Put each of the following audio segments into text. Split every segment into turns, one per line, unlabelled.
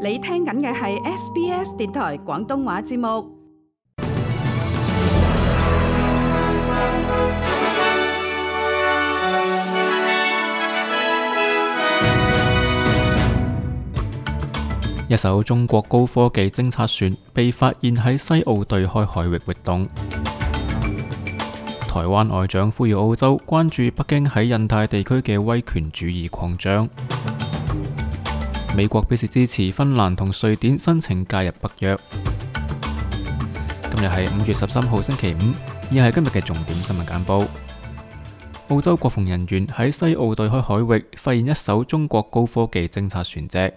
你聽緊嘅係 SBS 電台廣東話節目。
一艘中國高科技偵察船被發現喺西澳對開海域活動。台灣外長呼籲澳洲關注北京喺印太地區嘅威權主義擴張。美國表示支持芬蘭同瑞典申請加入北約。今日係5月13號星期五，以下係今日嘅重點新聞簡報。澳洲國防人員喺西澳對開海域發現一艘中國高科技偵察船隻。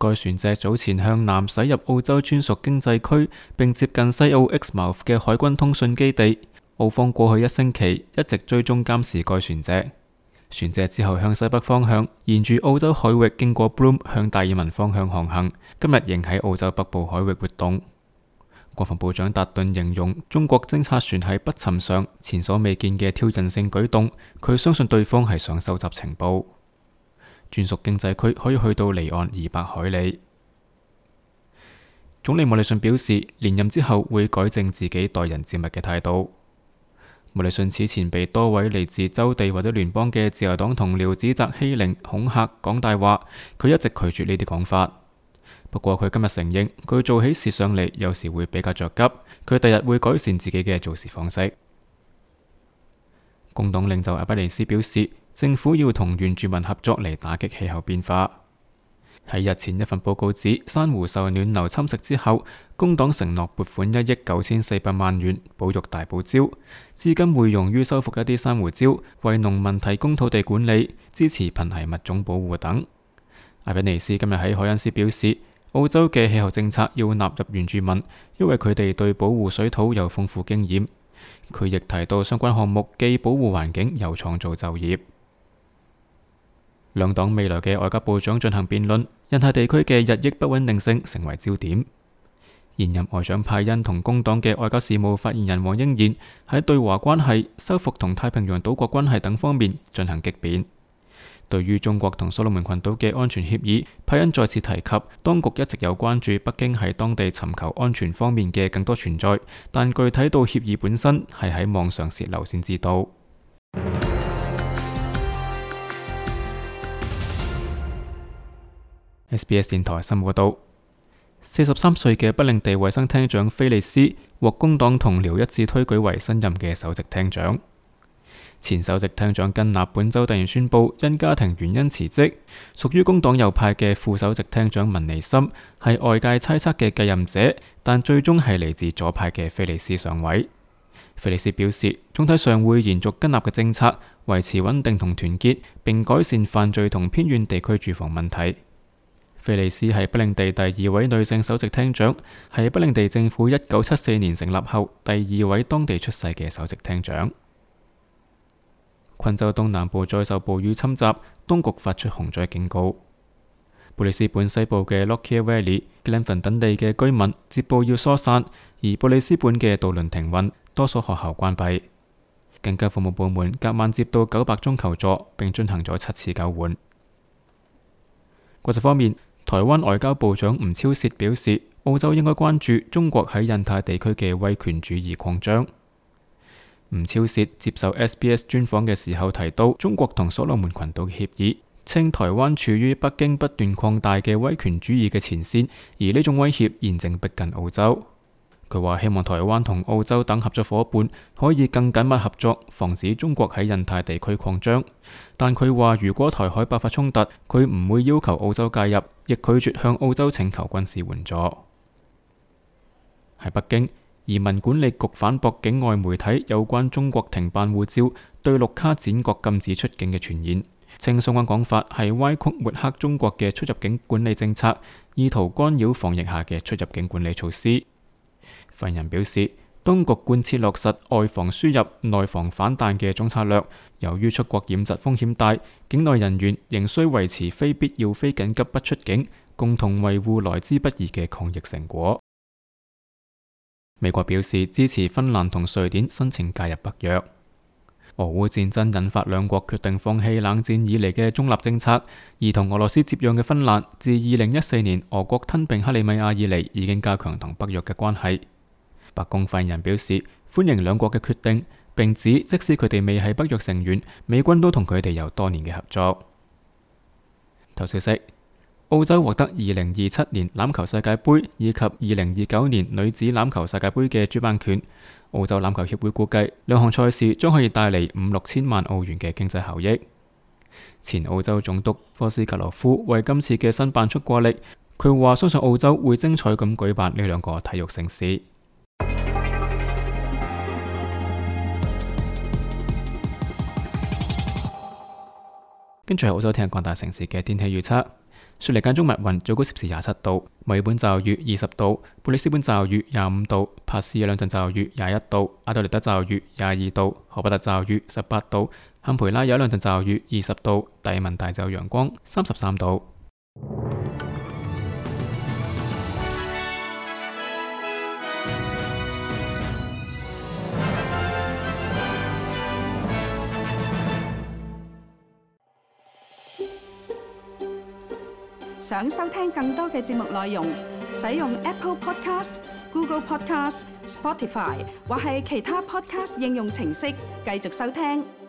該船隻早前向南駛入澳洲專屬經濟區，並接近西澳 Exmouth 嘅海軍通訊基地。澳方過去1星期一直追蹤監視該船隻。船隻之後向西北方向，沿住澳洲海域經過 Broome 向達爾文方向航行，今日仍喺澳洲北部海域活動。國防部長達頓形容中國偵察船係不尋常、前所未見嘅挑釁性舉動，佢相信對方係想收集情報。專屬經濟區可以去到離岸200海里。總理莫里遜表示，連任之後會改正自己待人接物嘅態度。莫里遜此前被多位嚟自州地或者聯邦嘅自由黨同僚指責欺凌、恐嚇、講大話，佢一直拒絕呢啲講法。不過佢今日承認，佢做起事上嚟有時會比較着急，佢第日會改善自己嘅做事方式。工黨領袖阿比尼斯表示，政府要同原住民合作嚟打擊氣候變化。喺日前一份報告指，珊瑚受暖流侵蝕之後，工黨承諾撥款1億9400萬元保育大堡礁，資金會用於修復一啲珊瑚礁，為農民提供土地管理、支持瀕危物種保護等。阿比尼斯今日喺凱恩斯表示，澳洲嘅氣候政策要納入原住民，因為佢哋對保護水土有豐富經驗。佢亦提到相關項目既保護環境又創造就業。兩黨未來嘅外交部長進行辯論，印太地區嘅日益不穩定性成為焦點。現任外長派恩同工黨嘅外交事務發言人黃英賢喺對華關係、修復同太平洋島國關係等方面進行激辯。對於中國同所羅門群島嘅安全協議，派恩再次提及，當局一直有關注北京喺當地尋求安全方面嘅更多存在，但具體到協議本身係喺網上洩漏先知道。SBS 電台新聞報道，43歲嘅北領地衛生廳長菲利斯獲工黨同僚一致推舉為新任嘅首席廳長。前首席廳長根納本周突然宣布因家庭原因辭職，屬於工黨右派嘅副首席廳長文尼森係外界猜測嘅繼任者，但最終係嚟自左派嘅菲利斯上位。菲利斯表示，總體上會延續根納嘅政策，維持穩定同團結，並改善犯罪同偏遠地區住房問題。菲利斯係北領地第2位女性首席廳長，係北領地政府1974年成立後第2位當地出世嘅首席廳長。昆州東南部再受暴雨侵襲，當局發出洪災警告。布里斯本西部嘅 Lockyer Valley、Glenfern 等地嘅居民接報要疏散，而布里斯本嘅渡輪停運，多所學校關閉。緊急服務部門隔晚接到900宗求助，並進行咗7次救援。國際方面，台灣外交部長吳釗燮表示，澳洲應該關注中國喺印太地區嘅威權主義擴張。吳釗燮接受 SBS 專訪嘅時候提到，中國同所羅門群島嘅協議，稱台灣處於北京不斷擴大嘅威權主義嘅前線，而呢種威脅現正逼近澳洲。佢話希望台灣同澳洲等合作夥伴可以更緊密合作，防止中國喺印太地區擴張。但佢話如果台海爆發衝突，佢唔會要求澳洲介入，亦拒絕向澳洲請求軍事援助。喺北京，移民管理局反駁境外媒體有關中國停辦護照、對綠卡剪角禁止出境嘅傳言，稱相關講法係歪曲抹黑中國嘅出入境管理政策，意圖干擾防疫下嘅出入境管理措施。發言人表示，當局貫徹落實外防輸入、內防反彈嘅總策略。由於出國染疾風險大，境內人員仍需維持非必要、非緊急不出境，共同維護來之不易嘅抗疫成果。美國表示支持芬蘭同瑞典申請加入北約。俄烏戰爭引發兩國決定放棄冷戰以嚟嘅中立政策，而同俄羅斯接壤嘅芬蘭，自2014年俄國吞併克里米亞以嚟，已經加強同北約嘅關係。白宮發言人表示歡迎兩國嘅決定，並指即使佢哋未係北約成員，美軍都同佢哋有多年嘅合作。頭消息：澳洲獲得2027年欖球世界盃以及2029年女子欖球世界盃嘅主辦權。澳洲欖球協會估計兩項賽事將可以帶嚟5-6千萬澳元嘅經濟效益。前澳洲總督科斯格羅夫為今次嘅申辦出過力，佢話相信澳洲會精彩咁舉辦呢兩個體育盛事。跟住係澳洲聽日各大城市嘅天氣預測。雪梨間中密雲，最高攝氏27度；墨爾本驟雨20度；布里斯本驟雨25度；帕斯有兩陣驟雨21度；阿德萊德驟雨22度；荷伯特驟雨18度；坎培拉有兩陣驟雨20度；達爾文大就陽光33度。
想收聽更多嘅節目內容，使用 Apple Podcast、Google Podcast、Spotify 或係其他 Podcast 應用程式繼續收聽。